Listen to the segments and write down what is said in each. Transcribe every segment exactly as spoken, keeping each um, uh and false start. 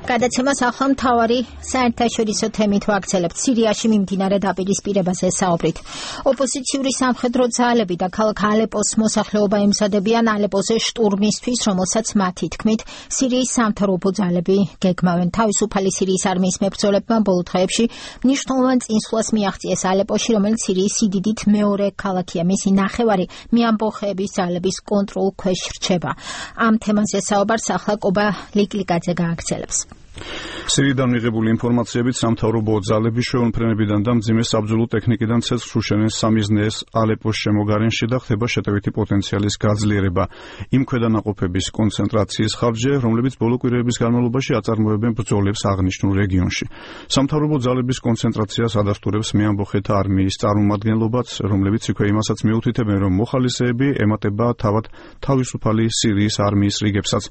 გადაცემას ახლა მთავარი საერთაშორისო თემით ვაგრძელებთ. სირიაში მიმდინარე დაპირისპირებაზე საუბრით. ოპოზიციური სამხედრო ძალები და ქალაქ ალეპოს მოსახლეობა ემზადებიან ალეპოზე შტურმისთვის, რომელსაც მათი თქმით სირიის სამთავრობო ძალები გეგმავენ. თავისუფალი სირიის არმიის მებრძოლებმა ბოლო დღეებში მნიშვნელოვან წინსვლას მიაღწიეს ალეპოში, რომელიც სირიის სიდიდით მეორე ქალაქია. მისი ნახევარი მეამბოხეების ძალების კონტროლ ქვეშ რჩება. ამ თემაზე საუბარს ახლა კობა ლიკლიკაძე გააგრძელებს. სირიიდან მიღებული ინფორმაციებით სამთავრობო ძალები შეუნფრენებიდან და მძიმე საბრძოლო ტექნიკიდან ცეცხლს უშენեն სამიზნეეს ალეპოს შემოგარენში და ხდება შეტევითი პოტენციალის გაძლიერება. იმ ქვედანაყოფების კონცენტრაციის ხარჯზე, რომლებიც ბოლო კვირაების განმავლობაში აწარმოებენ ბრძოლებს აღნიშნულ რეგიონში. სამთავრობო ძალების კონცენტრაციას ადასტურებს მეამბოხეთა არმიის წარმომადგენლობაც, რომლებიც იქვე იმასაც მიუთითებენ, რომ მოხალისეები ემატება თავად თავისუფალი სირიის არმიის რიგებსაც.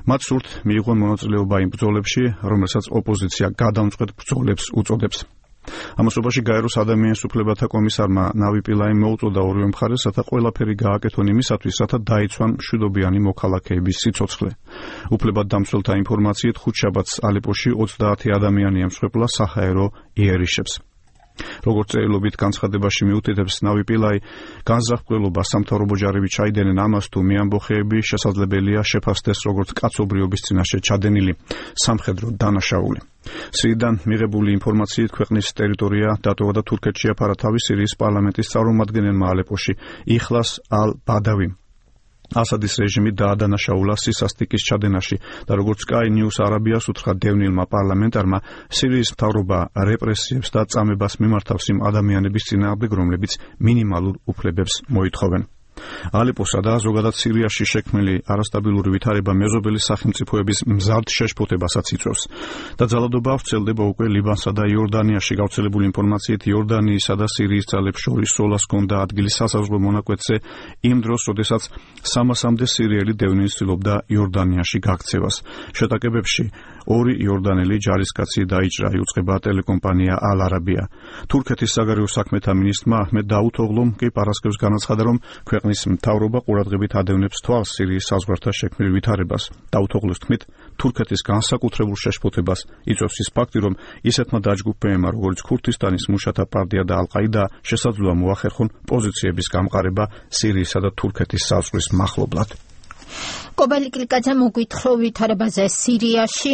მათ სურთ მიიღონ მონაწილეობა იმ ბრძოლებში, რომელსაც ოპოზიცია გადამწყვეტ ბრძოლებს უწოდებს. ამასობაში გაეროს ადამიანის უფლებათა კომისარმა ნავი პილაიმ მოუწოდა ორივე მხარეს, რათა ყველაფერი გააკეთონ იმისათვის, რათა დაიცვან მშვიდობიანი მოქალაქეების სიცოცხლე. უფლებადდამცველთა ინფორმაციით ხუთშაბათს ალეპოში ოცდაათი ადამიანი ემსხვერპლა საჰაერო იერიშებს. როგორც წერილობით განცხადებაში მიუთითებს ნავი პილაი, განზრახველობა სამთავრობო ჯარები ჩაიდენენ ამას, თუ მეამბოხეები შესაძლებელია შეფასდეს როგორც კაცობრიობის წინაშე ჩადენილი სამხედრო დანაშაული. სირიიდან მიღებული ინფორმაციით ქვეყნის ტერიტორია დატოვა და თურქეთში აფარა თავი სირიის პარლამენტის წარმომადგენელმა ალეპოში იხლას ალ-ბადავიმ. ასადის რეჟიმი დაადანაშაულა სისასტიკის ჩადენაში და როგორც Sky News Arabias უთხრა დევნილმა პარლამენტარმა, სირიის მთავრობა რეპრესიებს და წამებას მიმართავს იმ ადამიანების წინააღმდეგ, რომლებიც მინიმალურ უფლებებს მოითხოვენ. ალეპოსა და ზოგადად სირიაში შექმნილი არასტაბილური ვითარება მეზობელი სახელმწიფოების მზარდ შეშფოთებასაც იწვევს და ძალადობა ვრცელდება უკვე ლიბანსა და იორდანიაში. გავრცელებული ინფორმაციით იორდანიისა და სირიის ძალებს შორის სოლას ჰქონდა ადგილი სასაზღვრო მონაკვეთზე იმ დროს, როდესაც სამასამდე სირიელი დევნილი ცდილობდა იორდანიაში გაქცევას. შეტაკებებში ორი იორდანელი ჯარისკაცი დაიჭრა, იუწყება ტელეკომპანია ალ-არაბია. თურქეთის საგარეო საქმეთა მინისტრმა აჰმედ დაუთოღლუმ კი პარასკევს განაცხადა, რომ ქვეყნის მთავრობა ყურადღებით ადევნებს თვალს სირიის საზღვართან შექმნილ ვითარებას. დაუთოღლუს თქმით, თურქეთის განსაკუთრებულ შეშფოთებას იწვევს ის ფაქტი, რომ ისეთმა დაჯგუფებებმა, როგორც ქურთისტანის მუშათა პარტია და ალ-ყაიდა, შესაძლოა მოახერხონ პოზიციების გამყარება სირიისა და თურქეთის საზღვრის მახლობლად. კობა ლიკლიკაძე მოგვითხრობ ვითარებაზე სირიაში.